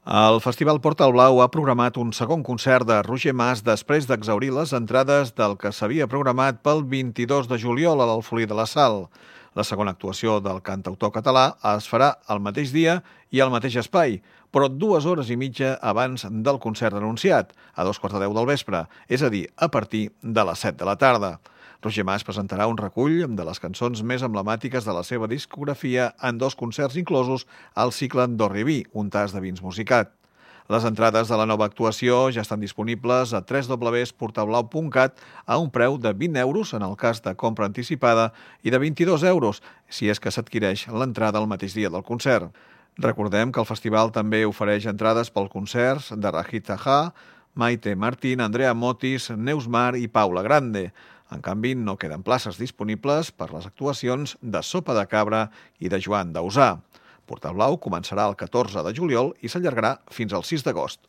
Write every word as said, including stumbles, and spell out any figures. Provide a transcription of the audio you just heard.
El Festival Portal Blau ha programat un segon concert de Roger Mas després d'exhaurir les entrades del que s'havia programat pel vint-i-dos de juliol a l'Alfolí de la Sal. La segona actuació del cantautor català es farà el mateix dia i al mateix espai, però dues hores i mitja abans del concert anunciat, a dos quarts de deu del vespre, és a dir, a partir de les set de la tarda. Roger Mas presentarà un recull de les cançons més emblemàtiques de la seva discografia en dos concerts inclosos al cicle d'Orriví, un tas de vins musicat. Les entrades de la nova actuació ja estan disponibles a w w w punt portablau punt cat a un preu de vint euros en el cas de compra anticipada i de vint-i-dos euros si és que s'adquireix l'entrada el mateix dia del concert. Recordem que el festival també ofereix entrades pels concerts de Rahit Taha, Maite Martín, Andrea Motis, Neus Mar i Paula Grande. En canvi, no queden places disponibles per les actuacions de Sopa de Cabra i de Joan Dausà. Portal Blau començarà el catorze de juliol i s'allargarà fins al sis d'agost.